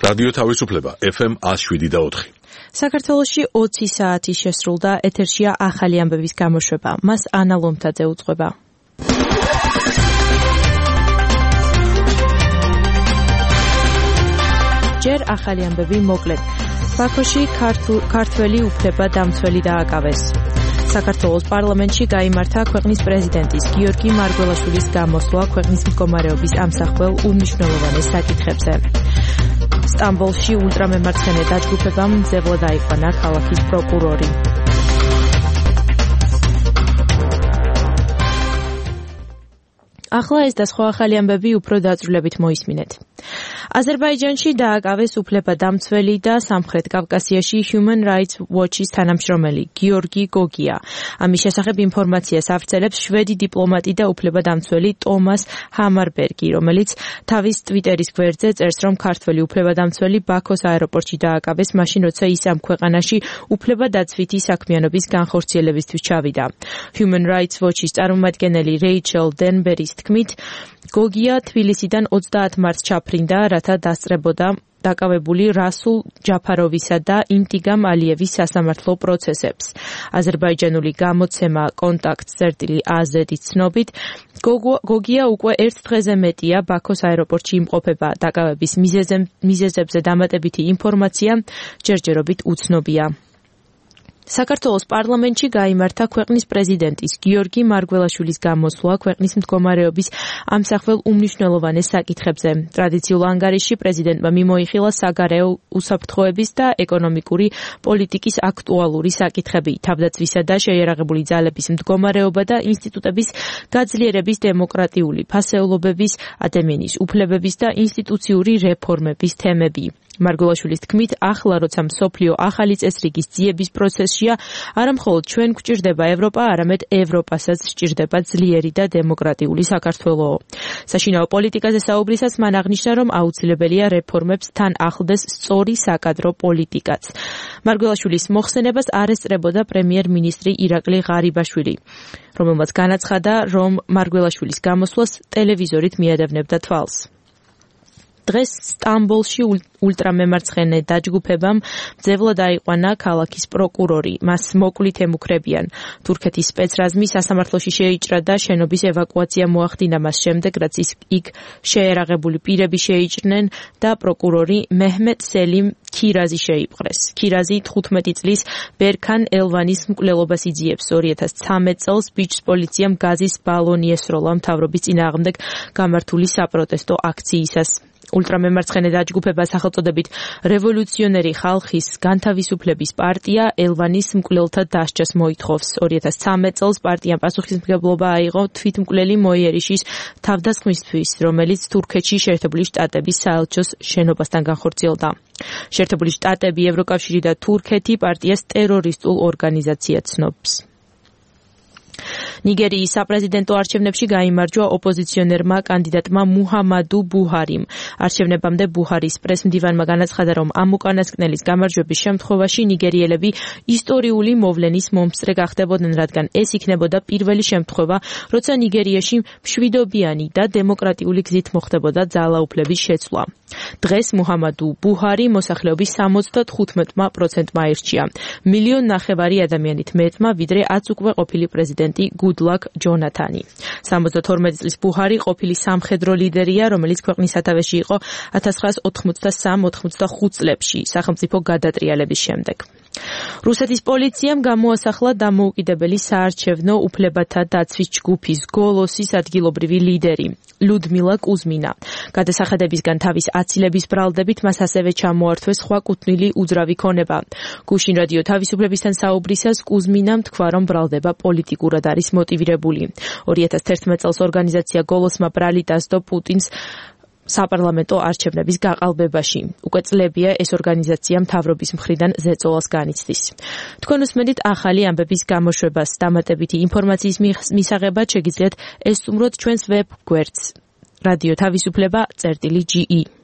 რადიო თავისუფლება FM 107.4. საქართველოში 20 საათი შესრულდა, ეთერშია ახალი ამბების გამოშვება. მას ანა ლომთაძე უძღვება. ჯერ ახალი ამბები მოკლედ. ბაქოში ქართველი უფლებადამცველი დააკავეს. საქართველოს პარლამენტში გაიმართა ქვეყნის პრეზიდენტის გიორგი მარგველაშვილის გამოსვლა ქვეყნის მდგომარეობის ამსახველ უმნიშვნელოვანეს საკითხებზე. სტამბოლში ულტრამემარცხენე დაჯგუფებამ მძევლად აიყვანა ქალაქის პროკურორი. ახლა ეს და სხვა ახალი ამბები უფრო დაწვრილებით მოისმინეთ. აზერბაიჯანში დააკავეს უფლებადამცველი და სამხრეთ კავკასიაში Human Rights Watch-ის თანამშრომელი გიორგი გოგია. ამის შესახებ ინფორმაციას ავრცელებს შვედი დიპლომატი და უფლებადამცველი ტომას ჰამარბერგი, რომელიც თავის ტვიტერის გვერდზე წერს, რომ ქართველი უფლებადამცველი ბაქოს აეროპორტში დააკავეს, მაშინ როცა ის ამ ქვეყანაში უფლებადაცვითი საქმიანობის განხორციელებისთვის ჩავიდა. Human Rights Watch-ის წარმომადგენელი რეიჩელ დენბერის თქმით, გოგია თბილისიდან 30 მარტს ჩაფრინდა, რათა დასწრებოდა დაკავებული რასულ ჯაფაროვისა და ინტიგამ ალიევის სასამართლო პროცესებს. აზერბაიჯანული გამოცემა Kontakt-AZ-ის ცნობით, გოგია უკვე ერთ დღეზე მეტია ბაქოს აეროპორტში იმყოფება. დაკავების მიზეზებზე დამატებითი ინფორმაცია ჯერჯერობით უცნობია. საქართველოს პარლამენტში გაიმართა ქვეყნის პრეზიდენტის გიორგი მარგველაშვილის გამოსვლა ქვეყნის მდგომარეობის ამსახველ უმნიშვნელოვანეს საკითხებზე. ტრადიციულ ანგარიშში პრეზიდენტმა მიმოიხილა საგარეო უსაფრთხოების და ეკონომიკური პოლიტიკის აქტუალური საკითხები, თავდაცვისა და შეიარაღებული ძალების მდგომარეობა და ინსტიტუტების გაძლიერების, დემოკრატიული ფასეულობების, ადამიანის უფლებების და ინსტიტუციური რეფორმების თემები. მარგველაშვილის თქმით, ახლა როცა მსოფლიო ახალი წესრიგის ძიების პროცესშია, არა მხოლოდ ჩვენ გვჭირდება ევროპა, არამედ ევროპასაც სჭირდება ძლიერი და დემოკრატიული საქართველო. საშინაო პოლიტიკაზე საუბრისას მან აღნიშნა, რომ აუცილებელია რეფორმებს თან ახლდეს სწორი საკადრო პოლიტიკაც. მარგველაშვილის მოხსენებას არ ესწრებოდა პრემიერ-მინისტრი ირაკლი ღარიბაშვილი, რომელმაც განაცხადა, რომ მარგველაშვილის გამოსვლას ტელევიზორით მიადევნებდა თვალს. დღეს სტამბოლში ულტრამემარცხენე დაჯგუფებამ მძევლად აიყვანა ქალაქის პროკურორი. მას მოკლით ემუქრებიან. თურქეთის სპეცრაზმი სასამართლოში შეიჭრა და შენობის ევაკუაცია მოახდინა მას შემდეგ, რაც იქ შეერაღებული პირები შეიჭრნენ და პროკურორი მეჰმედ სელიმ ქირაზი შეიპყრეს. ქირაზი 15 წლის ბერქან ელვანის მკვლელობას იძიებს. 2013 წელს ბიჭს პოლიციამ გაზის ბალონი ესროლა მთავრობის წინააღმდეგ გამართული საპროტესტო აქციისას. ულტრამემარცხენე დაჯგუფება სახელწოდებით რევოლუციონერი ხალხის განთავისუფლების პარტია ელვანის მკვლელთა დასჯას მოითხოვს. 2013 წელს პარტიამ პასუხისმგებლობა აიღო თვითმკვლელი მოიერიშის თავდასხმისთვის, რომელიც თურქეთში შეერთებული შტატების საელჩოს შენობასთან განხორციელდა. შეერთებული შტატები, ევროკავშირი და თურქეთი პარტიას ტერორისტულ ორგანიზაციად ცნობს. ნიგერიის საპრეზიდენტო არჩევნებში გაიმარჯვა ოპოზიციონერმა კანდიდატმა მუჰამადუ ბუჰარიმ. არჩევნებამდე ბუჰარის პრესმდივანმა განაცხადა, რომ ამ უკანასკნელის გამარჯვების შემთხვევაში ნიგერიელები ისტორიული მოვლენის მომსწრე გახდებოდნენ, რადგან ეს იქნებოდა პირველი შემთხვევა, როცა ნიგერიაში მშვიდობიანი და დემოკრატიული გზით მოხდებოდა ძალაუფლების შეცვლა. დღეს მუჰამადუ ბუჰარი მოსახლეობის 75%-მა აირჩია. 1,5 მილიონი ადამიანით მეტმა, ვიდრე 10 უკვე ყოფილი პრეზიდენტი გუდლაკ ჯონათანი. 72 წლის ბუჰარი ყოფილი სამხედრო ლიდერია, რომელიც ქვეყნის სათავეში იყო 1983-85 წლებში, სახელმწიფო გადატრიალების შემდეგ. რუსეთის პოლიციამ გამოასახლა დამოუკიდებელი საარჩევნო უფლებათა დაცვის ჯგუფის გოლოსის ადგილობრივი ლიდერი ლუდმილა კუზმინა. გადასახადებისგან თავის აცილების ბრალდებით მას ასევე ჩამოართვეს სხვა კუთვნილი უძრავი ქონება. გუშინ რადიო თავისუფლებისთან საუბრისას კუზმინამ თქვა, რომ ბრალდება პოლიტიკურად არის მოტივირებული. 2011 წელს ორგანიზაცია გოლოსმა ბრალი დასდო პუტინს საპარლამენტო არჩევნების გაყალბებაში. უკვე წლებია ეს ორგანიზაცია მთავრობის მხრიდან ზეწოლას განიცდის. თქვენ უსმენთ ახალი ამბების გამოშვებას. დამატებითი ინფორმაციის მისაღებად შეგიძლიათ ესწუმროთ ჩვენს ვებ გვერდს რადიო თავისუფლება.ge